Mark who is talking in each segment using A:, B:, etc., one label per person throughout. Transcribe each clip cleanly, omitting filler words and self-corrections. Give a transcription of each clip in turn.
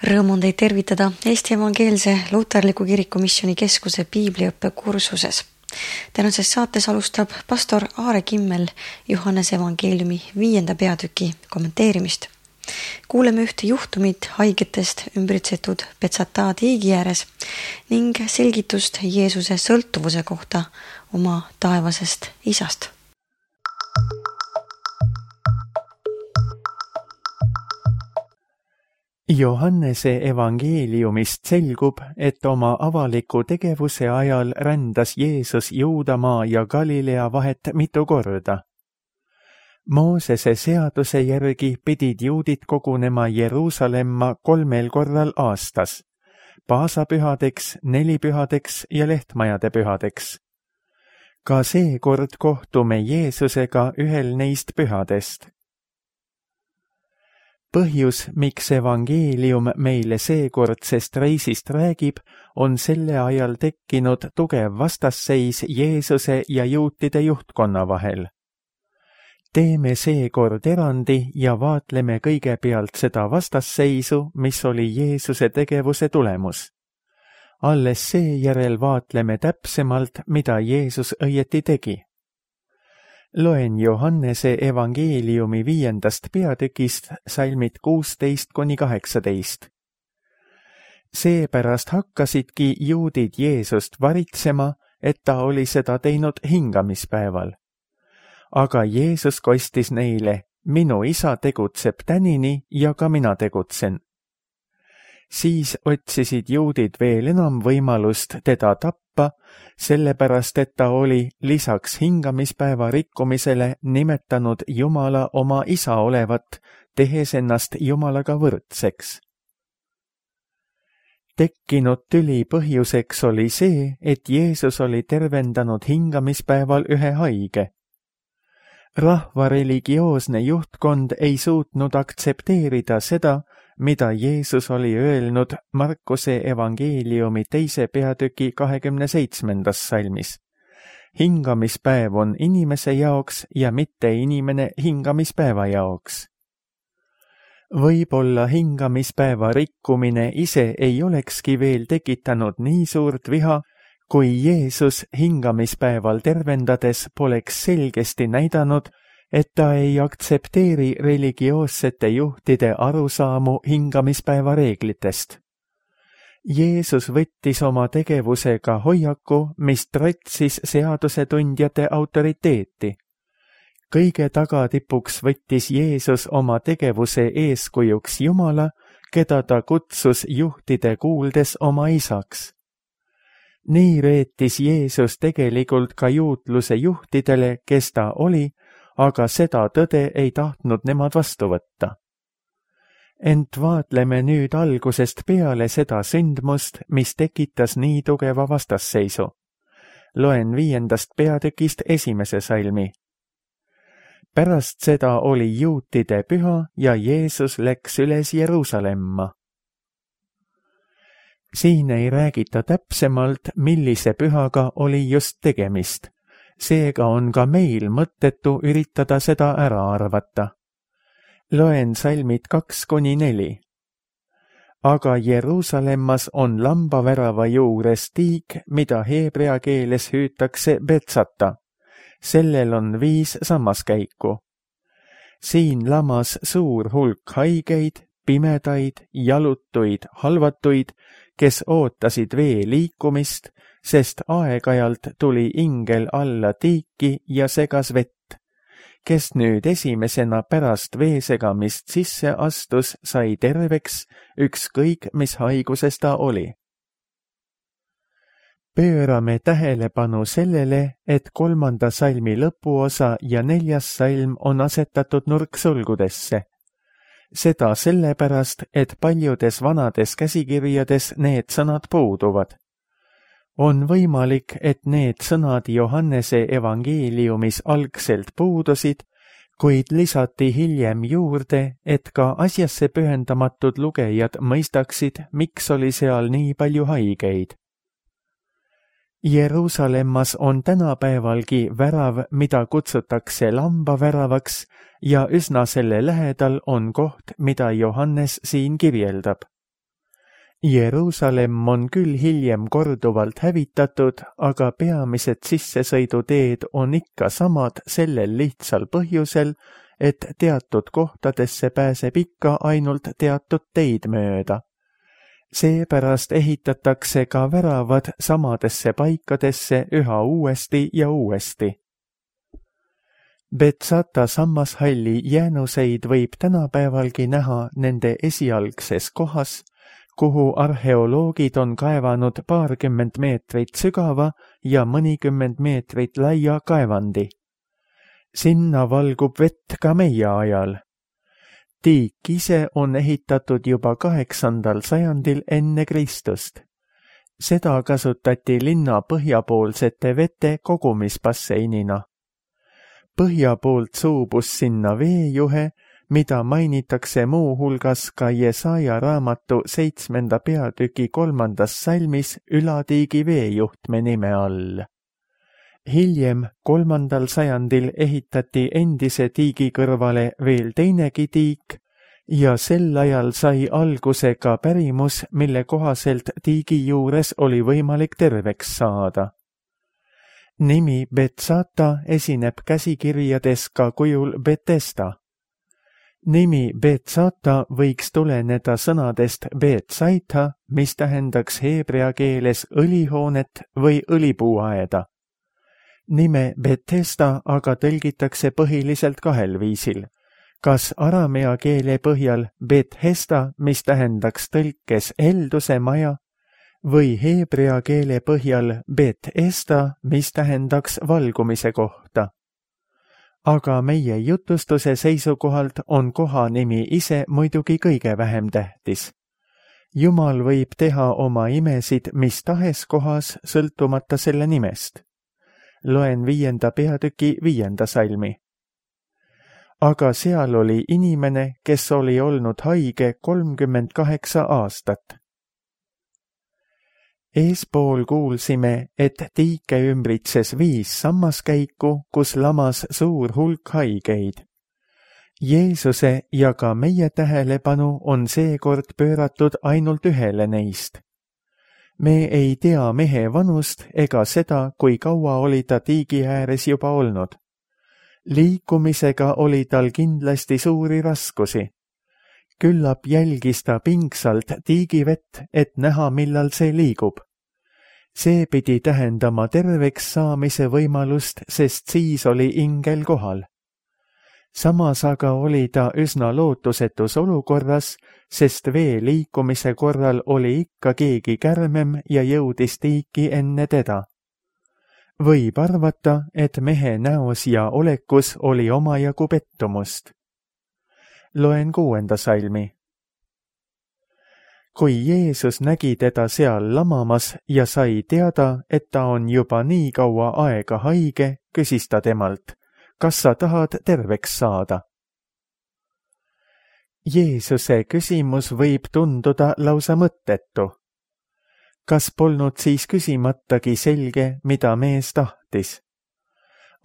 A: Rõõm on teid tervitada Eesti Evangeelse Luterliku Kiriku Missiooni Keskuse piibliõppe kursuses. Tänases saates alustab pastor Aare Kimmel Johannese evangeeliumi 5. peatüki kommenteerimist. Kuuleme ühte juhtumit haigetest ümbritsetud Betsata tiigi ääres ning selgitust Jeesuse sõltuvuse kohta oma taevasest isast.
B: Johannese evangeeliumist selgub, et oma avaliku tegevuse ajal rändas Jeesus Juudamaa ja Galilea vahet mitu korda. Moosese seaduse järgi pidid juudid kogunema Jeruusalemma 3 korral aastas, paasapühadeks, nelipühadeks ja lehtmajade pühadeks. Ka seekord kohtume Jeesusega ühel neist pühadest. Põhjus, miks evangeelium meile seekordsest reisist räägib, on selle ajal tekkinud tugev vastasseis Jeesuse ja juutide juhtkonna vahel. Teeme seekord erandi ja vaatleme kõigepealt seda vastasseisu, mis oli Jeesuse tegevuse tulemus. Alles seejärel vaatleme täpsemalt, mida Jeesus õieti tegi. Loen Johannese evangeeliumi 5. peatükist salmid 16-18. Seepärast hakkasidki juudid Jeesust varitsema, et ta oli seda teinud hingamispäeval. Aga Jeesus kostis neile, minu isa tegutseb tänini ja ka mina tegutsen. Siis otsisid juudid veel enam võimalust teda tappa, sellepärast et ta oli lisaks hingamispäeva rikkumisele nimetanud Jumala oma isa olevat, tehes ennast Jumalaga võrdseks. Tekkinud tüli põhjuseks oli see, et Jeesus oli tervendanud hingamispäeval ühe haige. Rahva religioosne juhtkond ei suutnud aktsepteerida seda, mida Jeesus oli öelnud Markuse evangeeliumi 2. peatüki 27. salmis. Hingamispäev on inimese jaoks ja mitte inimene hingamispäeva jaoks. Võib-olla hingamispäeva rikkumine ise ei olekski veel tekitanud nii suurt viha, kui Jeesus hingamispäeval tervendades poleks selgesti näidanud, et ta ei aktsepteeri religioossete juhtide arusaamu hingamispäeva reeglitest. Jeesus võttis oma tegevusega hoiaku, mis tratsis seadusetundjate autoriteeti. Kõige tagatipuks võttis Jeesus oma tegevuse eeskujuks Jumala, keda ta kutsus juhtide kuuldes oma isaks. Nii reetis Jeesus tegelikult ka juutluse juhtidele, kes ta oli, aga seda tõde ei tahtnud nemad vastu võtta. Ent vaatleme nüüd algusest peale seda sündmust, mis tekitas nii tugeva vastasseisu. Loen 5. peatükist 1. salmi. Pärast seda oli juutide püha ja Jeesus läks üles Jeruusalemma. Siin ei räägita täpsemalt, millise pühaga oli just tegemist. Seega on ka meil mõttetu üritada seda ära arvata. Loen salmid 2-4. Aga Jeruusalemmas on lambavärava juures tiik, mida heebrea keeles hüütakse Betsata. Sellel on 5 sammaskäiku. Siin lamas suur hulk haigeid, pimedaid, jalutuid, halvatuid, kes ootasid vee liikumist, sest aeg-ajalt tuli ingel alla tiiki ja segas vett. Kes nüüd esimesena pärast veesegamist sisse astus, sai terveks, ükskõik mis haiguses ta oli. Pöörame tähelepanu sellele, et 3. salmi lõpuosa ja 4. salm on asetatud nurksulgudesse. Seda sellepärast, et paljudes vanades käsikirjades need sõnad puuduvad. On võimalik, et need sõnad Johannese evangeeliumis algselt puudusid, kuid lisati hiljem juurde, et ka asjasse pühendamatud lugejad mõistaksid, miks oli seal nii palju haigeid. Jeruusalemmas on tänapäevalgi värav, mida kutsutakse lambaväravaks, ja üsna selle lähedal on koht, mida Johannes siin kirjeldab. Jeruusalemm on küll hiljem korduvalt hävitatud, aga peamised sissesõiduteed on ikka samad sellel lihtsal põhjusel, et teatud kohtadesse pääseb ikka ainult teatud teid mööda. Seepärast ehitatakse ka väravad samadesse paikadesse üha uuesti ja uuesti. Betsata sammashalli jäänuseid võib tänapäevalgi näha nende esialgses kohas, kuhu arheoloogid on kaevanud 20 meetrit sügava ja mõnikümmend meetrit laia kaevandi. Sinna valgub vett ka meie ajal. Tiik ise on ehitatud juba 8. sajandil enne Kristust. Seda kasutati linna põhjapoolsete vete kogumisbasseinina. Põhja poolt suubus sinna veejuhe, mida mainitakse muu hulgas ka Jesaja raamatu 7. peatüki 3. salmis Ülatiigi veejuhtme nime all. Hiljem 3. sajandil ehitati endise tiigi kõrvale veel teinegi tiik ja sel ajal sai alguse ka pärimus, mille kohaselt tiigi juures oli võimalik terveks saada. Nimi Betsata esineb käsikirjades ka kujul Betesda. Nimi Betsata võiks tuleneda sõnadest Betsaita, mis tähendaks heebrea keeles õlihoonet või õlipuuaeda. Nime Betesda aga tõlgitakse põhiliselt 2 viisil. Kas aramea keele põhjal Bethesda, mis tähendaks tõlkes helduse maja, või heebrea keele põhjal Bet-Esda, mis tähendaks valgumise kohta. Aga meie jutustuse seisukohalt on kohanimi ise muidugi kõige vähem tähtis. Jumal võib teha oma imesid mis tahes kohas, sõltumata selle nimest. Loen 5. peatüki 5. salmi. Aga seal oli inimene, kes oli olnud haige 38 aastat. Eespool kuulsime, et tiike ümbritses 5 sammaskäiku, kus lamas suur hulk haigeid. Jeesuse ja ka meie tähelepanu on seekord pööratud ainult ühele neist. Me ei tea mehe vanust ega seda, kui kaua oli ta tiigi ääres juba olnud. Liikumisega oli tal kindlasti suuri raskusi. Küllap jälgis ta pingsalt tiigivett, et näha, millal see liigub. See pidi tähendama terveks saamise võimalust, sest siis oli ingel kohal. Samas aga oli ta üsna lootusetus olukorras, sest vee liikumise korral oli ikka keegi kärmem ja jõudis tiiki enne teda. Võib arvata, et mehe näos ja olekus oli omajagu pettumust. Loen 6. salmi. Kui Jeesus nägi teda seal lamamas ja sai teada, et ta on juba nii kaua aega haige, küsis ta temalt, kas sa tahad terveks saada? Jeesuse küsimus võib tunduda lausa mõttetu. Kas polnud siis küsimatagi selge, mida mees tahtis?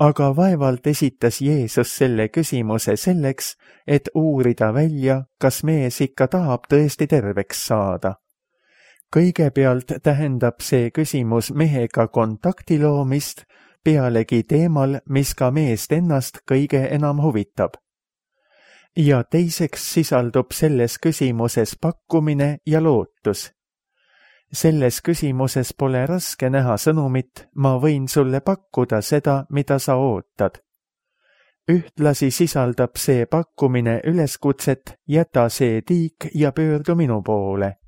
B: Aga vaevalt esitas Jeesus selle küsimuse selleks, et uurida välja, kas mees ikka tahab tõesti terveks saada. Kõigepealt tähendab see küsimus mehega kontakti loomist, pealegi teemal, mis ka meest ennast kõige enam huvitab. Ja teiseks sisaldub selles küsimuses pakkumine ja lootus. Selles küsimuses pole raske näha sõnumit, ma võin sulle pakkuda seda, mida sa ootad. Ühtlasi sisaldab see pakkumine üleskutset, jäta see tiik ja pöördu minu poole.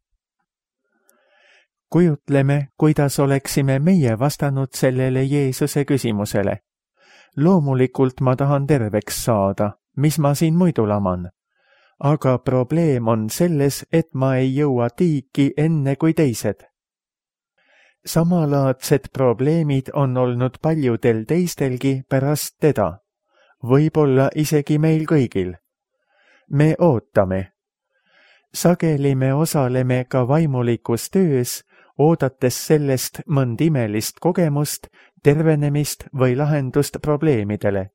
B: Kujutleme, kuidas oleksime meie vastanud sellele Jeesuse küsimusele. Loomulikult ma tahan terveks saada, mis ma siin muidu laman. Aga probleem on selles, et ma ei jõua tiiki enne kui teised. Samalaadsed probleemid on olnud paljudel teistelgi pärast teda, võib-olla isegi meil kõigil. Me ootame. Sageli me osaleme ka vaimulikus töös, oodates sellest mõnd imelist kogemust, tervenemist või lahendust probleemidele.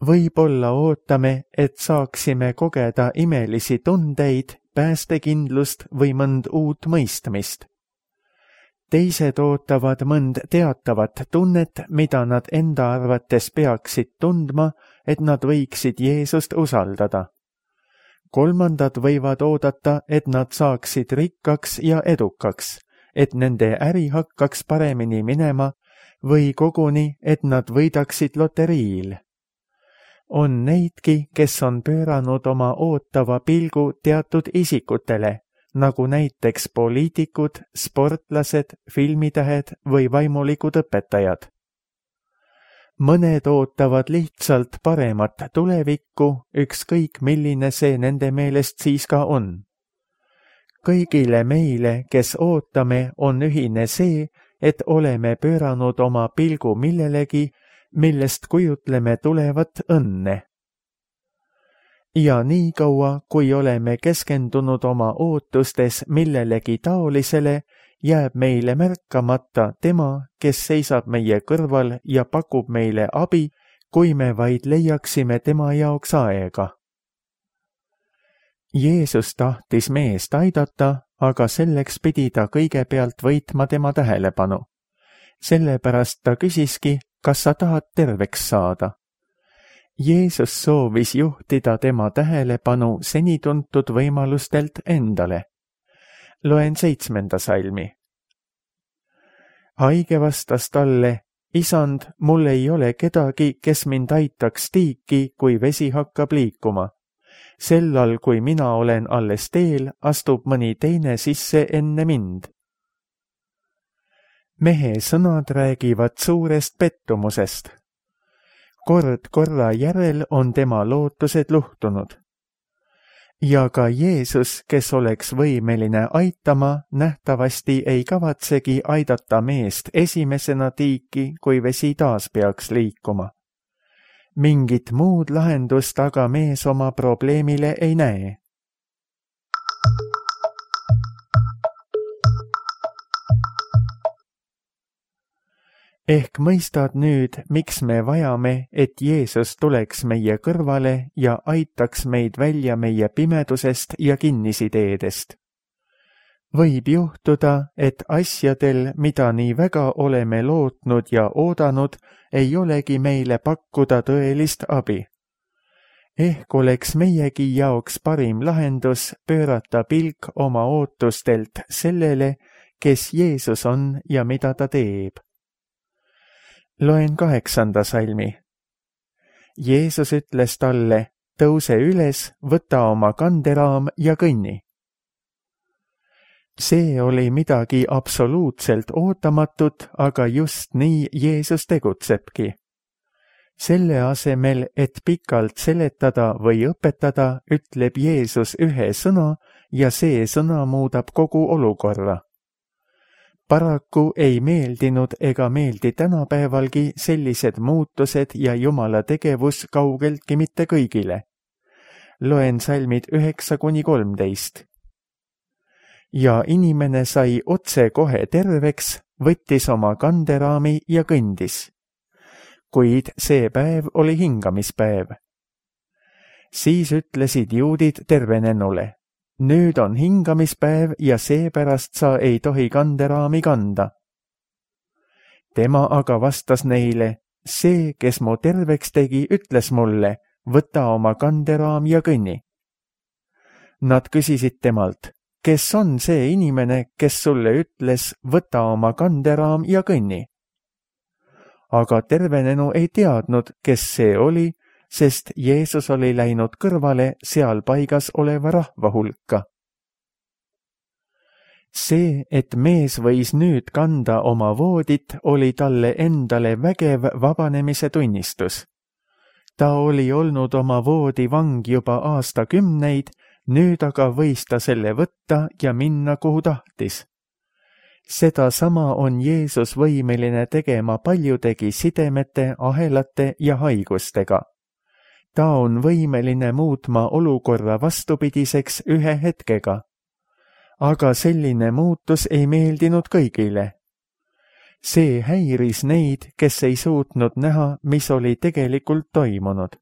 B: võib-olla ootame, et saaksime kogeda imelisi tundeid, päästekindlust või mõnd uut mõistmist. Teised ootavad mõnd teatavat tunnet, mida nad enda arvates peaksid tundma, et nad võiksid Jeesust usaldada. Kolmandad võivad oodata, et nad saaksid rikkaks ja edukaks, et nende äri hakkaks paremini minema või koguni, et nad võidaksid loteriil. On neidki, kes on pööranud oma ootava pilgu teatud isikutele, nagu näiteks poliitikud, sportlased, filmitähed või vaimulikud õpetajad. Mõned ootavad lihtsalt paremat tulevikku, ükskõik milline see nende meelest siis ka on. Kõigile meile, kes ootame, on ühine see, et oleme pööranud oma pilgu millelegi, millest kujutleme tulevat õnne. Ja nii kaua, kui oleme keskendunud oma ootustes millelegi taolisele, jääb meile märkamata tema, kes seisab meie kõrval ja pakub meile abi, kui me vaid leiaksime tema jaoks aega. Jeesus tahtis meest aidata, aga selleks pidi ta kõigepealt võitma tema tähelepanu. Sellepärast ta küsiski, kas sa tahad terveks saada. Jeesus soovis juhtida tema tähelepanu seni tuntud võimalustelt endale. Loen 7. salmi. Haige vastas talle, isand, mul ei ole kedagi, kes mind aitaks tiiki, kui vesi hakkab liikuma. Sellal, kui mina olen alles teel, astub mõni teine sisse enne mind. Mehe sõnad räägivad suurest pettumusest. Kord korra järel on tema lootused luhtunud. Ja ka Jeesus, kes oleks võimeline aitama, nähtavasti ei kavatsegi aidata meest esimesena tiiki, kui vesi taas peaks liikuma. Mingit muud lahendust aga mees oma probleemile ei näe. Ehk mõistad nüüd, miks me vajame, et Jeesus tuleks meie kõrvale ja aitaks meid välja meie pimedusest ja kinnisideedest. Võib juhtuda, et asjadel, mida nii väga oleme lootnud ja oodanud, ei olegi meile pakkuda tõelist abi. Ehk oleks meiegi jaoks parim lahendus pöörata pilk oma ootustelt sellele, kes Jeesus on ja mida ta teeb. Loen 8. salmi. Jeesus ütles talle, tõuse üles, võta oma kanderaam ja kõnni. See oli midagi absoluutselt ootamatut, aga just nii Jeesus tegutsebki. Selle asemel, et pikalt seletada või õpetada, ütleb Jeesus ühe sõna ja see sõna muudab kogu olukorra. Paraku ei meeldinud ega meeldi tänapäevalgi sellised muutused ja Jumala tegevus kaugeltki mitte kõigile. Loen salmid 9-13. Ja inimene sai otse kohe terveks, võttis oma kanderaami ja kõndis. Kuid see päev oli hingamispäev. Siis ütlesid juudid tervenenule. Nüüd on hingamispäev ja seepärast sa ei tohi kanderaami kanda. Tema aga vastas neile, see, kes mu terveks tegi, ütles mulle, võta oma kanderaam ja kõnni. Nad küsisid temalt, kes on see inimene, kes sulle ütles, võta oma kanderaam ja kõnni? Aga tervenenu ei teadnud, kes see oli, sest Jeesus oli läinud kõrvale seal paigas oleva rahva hulka. See, et mees võis nüüd kanda oma voodit, oli talle endale vägev vabanemise tunnistus. Ta oli olnud oma voodi vang juba aastakümneid, nüüd aga võis ta selle võtta ja minna, kuhu tahtis. Sedasama on Jeesus võimeline tegema paljudegi sidemete, ahelate ja haigustega. Ta on võimeline muutma olukorra vastupidiseks ühe hetkega. Aga selline muutus ei meeldinud kõigile. See häiris neid, kes ei suutnud näha, mis oli tegelikult toimunud.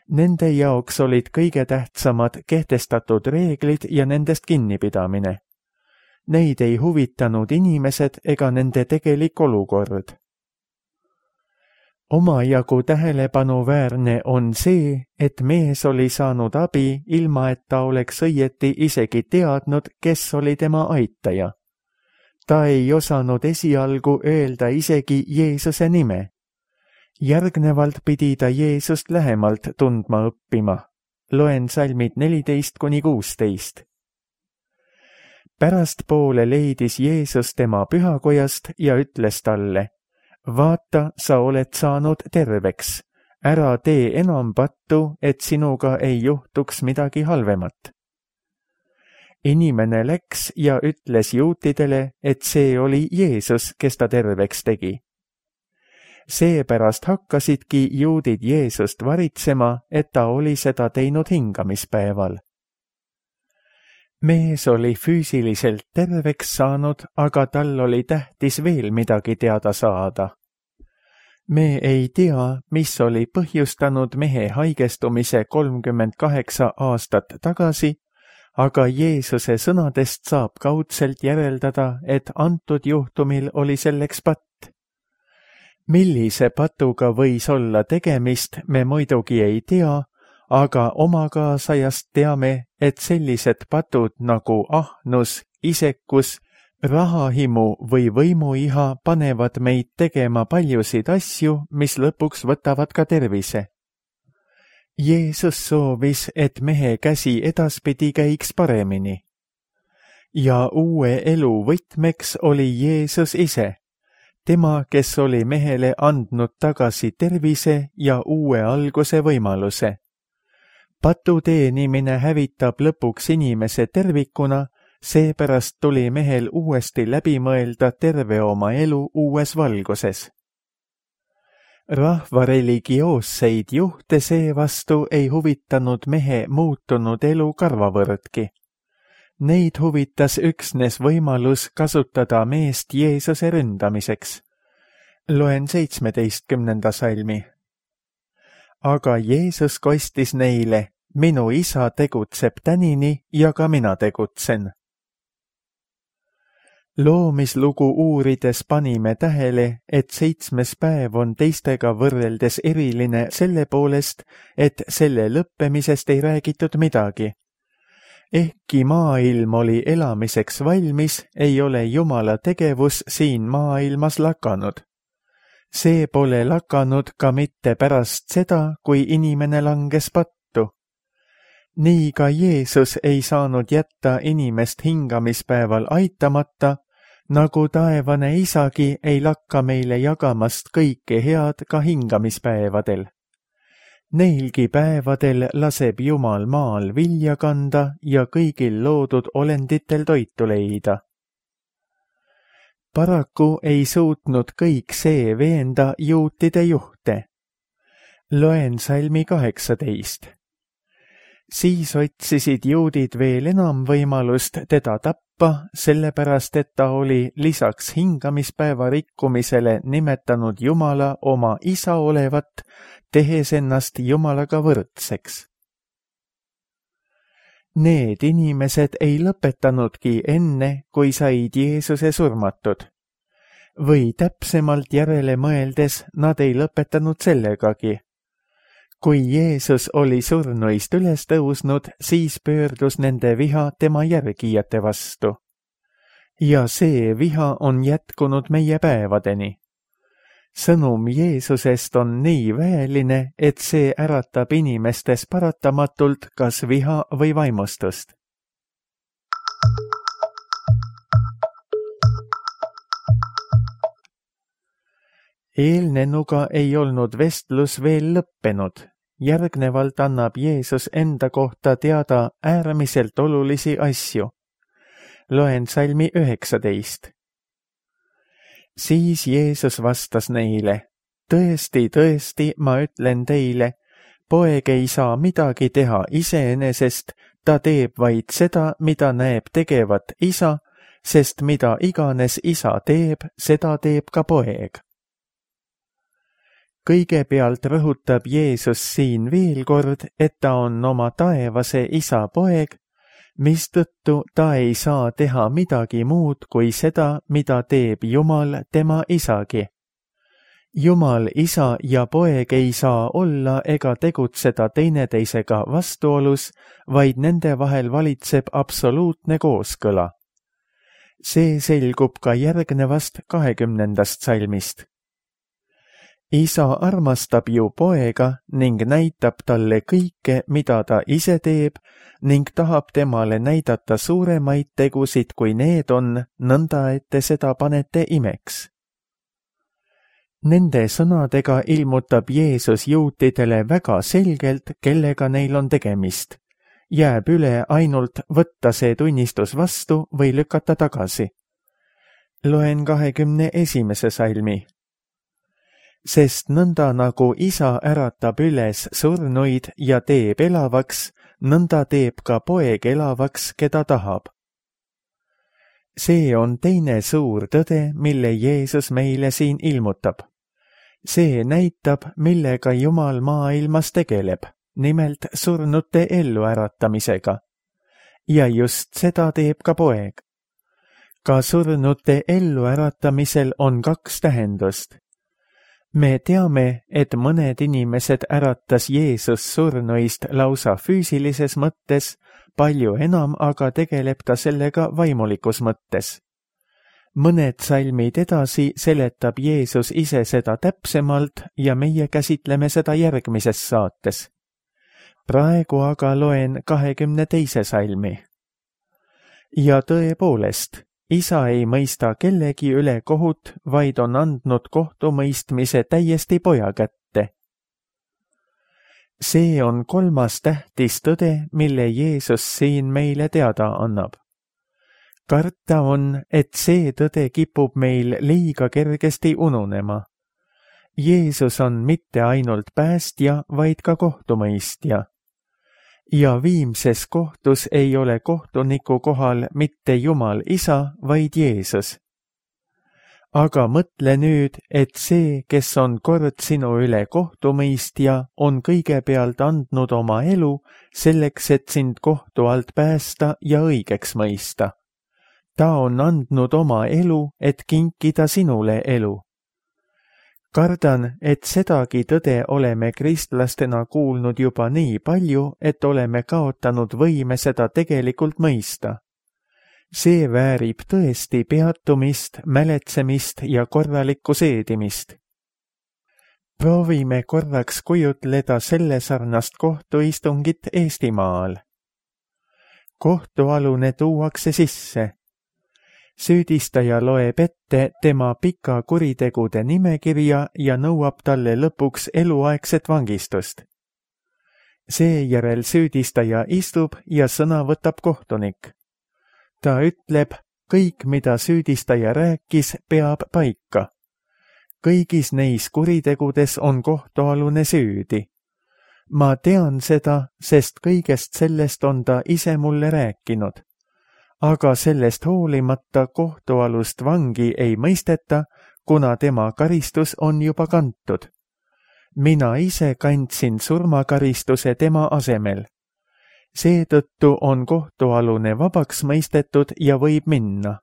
B: Nende jaoks olid kõige tähtsamad kehtestatud reeglid ja nendest kinnipidamine. Neid ei huvitanud inimesed ega nende tegelik olukord. Omajagu tähelepanuväärne on see, et mees oli saanud abi, ilma et ta oleks õieti isegi teadnud, kes oli tema aitaja. Ta ei osanud esialgu öelda isegi Jeesuse nime. Järgnevalt pidi ta Jeesust lähemalt tundma õppima. Loen salmid 14-16. Pärastpoole leidis Jeesus tema pühakojast ja ütles talle: vaata, sa oled saanud terveks. Ära tee enam pattu, et sinuga ei juhtuks midagi halvemat. Inimene läks ja ütles juutidele, et see oli Jeesus, kes ta terveks tegi. Seepärast hakkasidki juudid Jeesust varitsema, et ta oli seda teinud hingamispäeval. Mees oli füüsiliselt terveks saanud, aga tal oli tähtis veel midagi teada saada. Me ei tea, mis oli põhjustanud mehe haigestumise 38 aastat tagasi, aga Jeesuse sõnadest saab kaudselt järeldada, et antud juhtumil oli selleks patt. Millise patuga võis olla tegemist, me muidugi ei tea, aga omakaasajast teame, et sellised patud nagu ahnus, isekus, rahahimu või võimuiha panevad meid tegema paljusid asju, mis lõpuks võtavad ka tervise. Jeesus soovis, et mehe käsi edaspidi käiks paremini. Ja uue elu võtmeks oli Jeesus ise, tema, kes oli mehele andnud tagasi tervise ja uue alguse võimaluse. Patu teenimine hävitab lõpuks inimese tervikuna, seepärast tuli mehel uuesti läbi mõelda terve oma elu uues valguses. Rahva religioosseid juhte seevastu ei huvitanud mehe muutunud elu karvavõrdki. Neid huvitas üksnes võimalus kasutada meest Jeesuse ründamiseks. Loen 17. salmi. Aga Jeesus kostis neile: minu isa tegutseb tänini ja ka mina tegutsen. Loomislugu uurides panime tähele, et 7. päev on teistega võrreldes eriline selle poolest, et selle lõppemisest ei räägitud midagi. Ehkki maailm oli elamiseks valmis, ei ole Jumala tegevus siin maailmas lakanud. See pole lakanud ka mitte pärast seda, kui inimene langes pattu. Nii ka Jeesus ei saanud jätta inimest hingamispäeval aitamata, nagu taevane isagi ei lakka meile jagamast kõike head ka hingamispäevadel. Neilgi päevadel laseb Jumal maal vilja kanda ja kõigil loodud olenditel toitu leida. Paraku ei suutnud kõik see veenda juutide juhte. Loen salmi 18. Siis otsisid juudid veel enam võimalust teda tappa, sellepärast et ta oli lisaks hingamispäeva rikkumisele nimetanud Jumala oma isa olevat, tehes ennast Jumalaga võrdseks. Need inimesed ei lõpetanudki enne, kui said Jeesuse surmatud. Või täpsemalt järele mõeldes, nad ei lõpetanud sellegagi. Kui Jeesus oli surnuist üles tõusnud, siis pöördus nende viha tema järgijate vastu. Ja see viha on jätkunud meie päevadeni. Sõnum Jeesusest on nii väeline, et see äratab inimestes paratamatult kas viha või vaimustust. Eelnenuga ei olnud vestlus veel lõppenud. Järgnevalt annab Jeesus enda kohta teada äärmiselt olulisi asju. Loen salmi 19. Siis Jeesus vastas neile: tõesti, tõesti, ma ütlen teile, poeg ei saa midagi teha iseenesest, ta teeb vaid seda, mida näeb tegevat isa, sest mida iganes isa teeb, seda teeb ka poeg. Kõigepealt rõhutab Jeesus siin veel kord, et ta on oma taevase isa poeg, mistõttu ta ei saa teha midagi muud kui seda, mida teeb Jumal tema isagi. Jumal isa ja poeg ei saa olla ega tegutseda teineteisega vastuolus, vaid nende vahel valitseb absoluutne kooskõla. See selgub ka järgnevast 20. salmist. Isa armastab ju poega ning näitab talle kõike, mida ta ise teeb, ning tahab temale näidata suuremaid tegusid, kui need on, nõnda et te seda panete imeks. Nende sõnadega ilmutab Jeesus juutidele väga selgelt, kellega neil on tegemist. Jääb üle ainult võtta see tunnistus vastu või lükata tagasi. Loen 21. salmi. Sest nõnda nagu isa äratab üles surnuid ja teeb elavaks, nõnda teeb ka poeg elavaks, keda tahab. See on teine suur tõde, mille Jeesus meile siin ilmutab. See näitab, millega Jumal maailmas tegeleb, nimelt surnute elluäratamisega. Ja just seda teeb ka poeg. Ka surnute elluäratamisel on 2 tähendust. Me teame, et mõned inimesed äratas Jeesus surnuist lausa füüsilises mõttes, palju enam aga tegeleb ta sellega vaimulikus mõttes. Mõned salmid edasi seletab Jeesus ise seda täpsemalt ja meie käsitleme seda järgmises saates. Praegu aga loen 22. salmi. Ja tõepoolest, isa ei mõista kellegi üle kohut, vaid on andnud kohtumõistmise täiesti poja kätte. See on 3. tähtis tõde, mille Jeesus siin meile teada annab. Karta on, et see tõde kipub meil liiga kergesti ununema. Jeesus on mitte ainult päästja, vaid ka kohtumõistja. Ja viimses kohtus ei ole kohtuniku kohal mitte Jumal isa, vaid Jeesus. Aga mõtle nüüd, et see, kes on kord sinu üle kohtumõistja, on kõigepealt andnud oma elu selleks, et sind kohtu alt päästa ja õigeks mõista. Ta on andnud oma elu, et kinkida sinule elu. Kardan, et sedagi tõde oleme kristlastena kuulnud juba nii palju, et oleme kaotanud võime seda tegelikult mõista. See väärib tõesti peatumist, mäletsemist ja korralikku seedimist. Proovime korraks kujutleda selle sarnast kohtuistungit Eestimaal. Kohtualune tuuakse sisse. Süüdistaja loeb ette tema pika kuritegude nimekirja ja nõuab talle lõpuks eluaegset vangistust. Seejärel süüdistaja istub ja sõna võtab kohtunik. Ta ütleb, kõik, mida süüdistaja rääkis, peab paika. Kõigis neis kuritegudes on kohtualune süüdi. Ma tean seda, sest kõigest sellest on ta ise mulle rääkinud. Aga sellest hoolimata kohtualust vangi ei mõisteta, kuna tema karistus on juba kantud. Mina ise kandsin surmakaristuse tema asemel. Seetõttu on kohtualune vabaks mõistetud ja võib minna.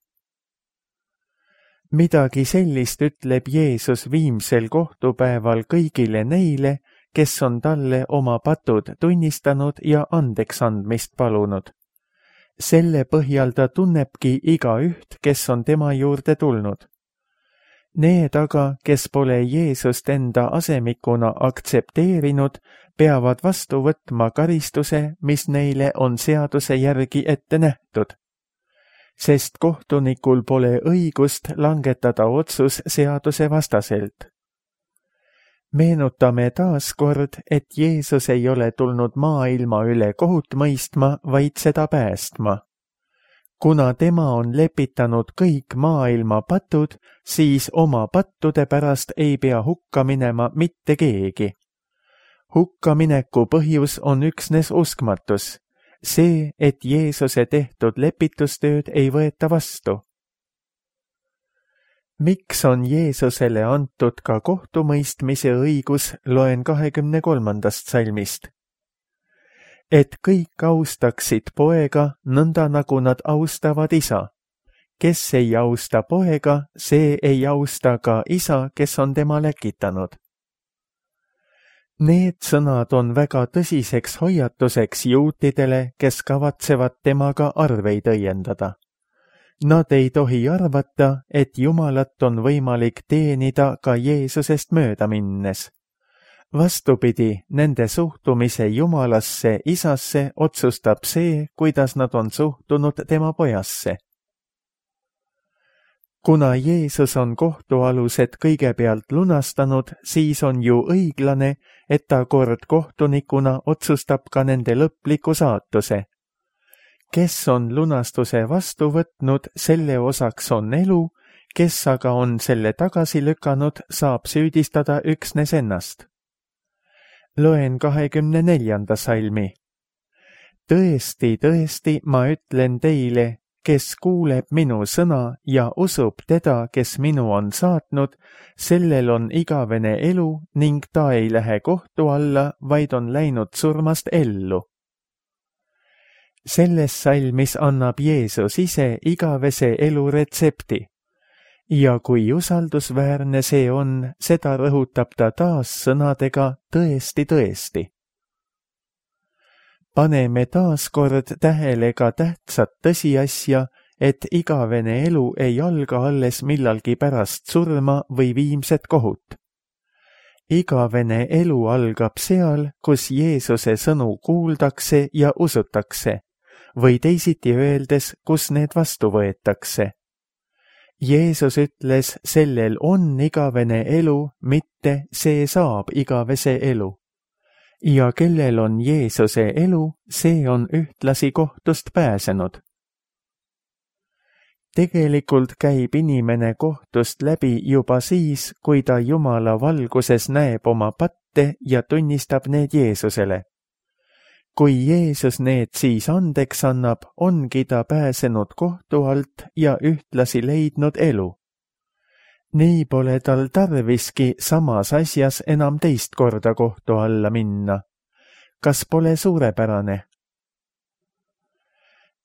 B: Midagi sellist ütleb Jeesus viimsel kohtupäeval kõigile neile, kes on talle oma patud tunnistanud ja andeks andmist palunud. Selle põhjal ta tunnebki igaüht, kes on tema juurde tulnud. Need aga, kes pole Jeesust enda asemikuna aktsepteerinud, peavad vastu võtma karistuse, mis neile on seaduse järgi ette nähtud. Sest kohtunikul pole õigust langetada otsus seaduse vastaselt. Meenutame taas kord, et Jeesus ei ole tulnud maailma üle kohut mõistma, vaid seda päästma. Kuna tema on lepitanud kõik maailma patud, siis oma pattude pärast ei pea hukka minema mitte keegi. Hukkamineku põhjus on üksnes uskmatus, see, et Jeesuse tehtud lepitustööd ei võeta vastu. miks on Jeesusele antud ka kohtumõistmise õigus, loen 23. salmist. Et kõik austaksid poega nõnda, nagu nad austavad isa. Kes ei austa poega, see ei austa ka isa, kes on tema läkitanud. Need sõnad on väga tõsiseks hoiatuseks juutidele, kes kavatsevad temaga arveid õiendada. Nad ei tohi arvata, et Jumalat on võimalik teenida ka Jeesusest mööda minnes. Vastupidi, nende suhtumise Jumalasse, isasse otsustab see, kuidas nad on suhtunud tema pojasse. Kuna Jeesus on kohtualused kõigepealt lunastanud, siis on ju õiglane, et ta kord kohtunikuna otsustab ka nende lõpliku saatuse. Kes on lunastuse vastu võtnud, selle osaks on elu, kes aga on selle tagasi lükanud, saab süüdistada üksnes ennast. Loen 24. salmi. Tõesti, tõesti, ma ütlen teile, kes kuuleb minu sõna ja usub teda, kes minu on saatnud, sellel on igavene elu ning ta ei lähe kohtu alla, vaid on läinud surmast ellu. Selles salmis annab Jeesus ise igavese elu retsepti. Ja kui usaldusväärne see on, seda rõhutab ta taas sõnadega tõesti, tõesti. Paneme taas kord tähele ka tähtsat tõsiasja, et igavene elu ei alga alles millalgi pärast surma või viimset kohut. Igavene elu algab seal, kus Jeesuse sõnu kuuldakse ja usutakse, või teisiti öeldes, kus need vastu võetakse. Jeesus ütles, sellel on igavene elu, mitte see saab igavese elu. Ja kellel on Jeesuse elu, see on ühtlasi kohtust pääsenud. Tegelikult käib inimene kohtust läbi juba siis, kui ta Jumala valguses näeb oma patte ja tunnistab need Jeesusele. Kui Jeesus need siis andeks annab, ongi ta pääsenud kohtu alt ja ühtlasi leidnud elu. Nii pole tal tarviski samas asjas enam teist korda kohtu alla minna. Kas pole suurepärane?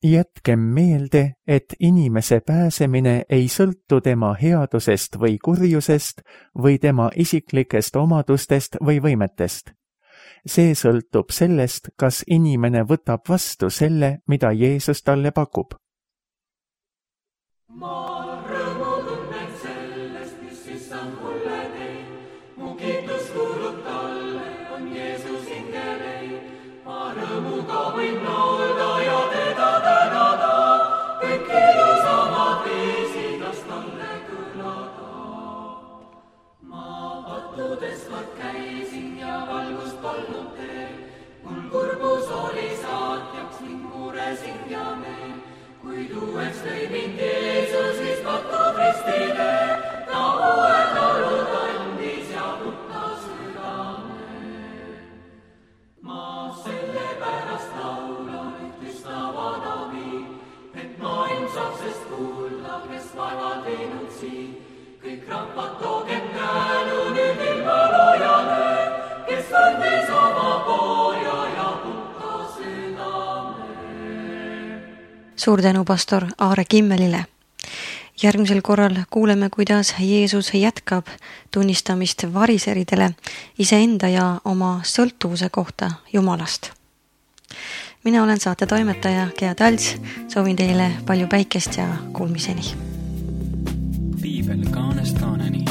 B: Jätkem meelde, et inimese pääsemine ei sõltu tema headusest või kurjusest või tema isiklikest omadustest või võimetest. See sõltub sellest, kas inimene võtab vastu selle, mida Jeesus talle pakub.
C: Ma rõõmu tunnen sellest, mis issand mulle teeb. Mu kiitus kuulub talle, on Jeesus hingelei. Ma rõõmuga võin laulda ja teda tänada. Kõik ilusamad viisidas talle kõlada. Ma pattudes kord käisin ja valgust polnud teel. Mul kurbus oli saatjaks ning muresin ja meel. Kuid uueks lõi mind Jeesus, mis patud ristile, ta uued olud andis ja puhta südame. Ma sellepärast laulan, et üstavad abi, et maailm saab sest kuulda, kes vaevad viinud siin. Kõik rahvad toogem tänu nüüd ilma loojale, kes andis oma poja ja puhta südame.
A: Suur tänu pastor Aare Kimmelile. Järgmisel korral kuuleme, kuidas Jeesus jätkab tunnistamist variseridele iseenda ja oma sõltuvuse kohta Jumalast. Mina olen saate toimetaja Gea Talts, soovin teile palju päikest ja kuulmiseni.
D: Piibel kaanest kaaneni.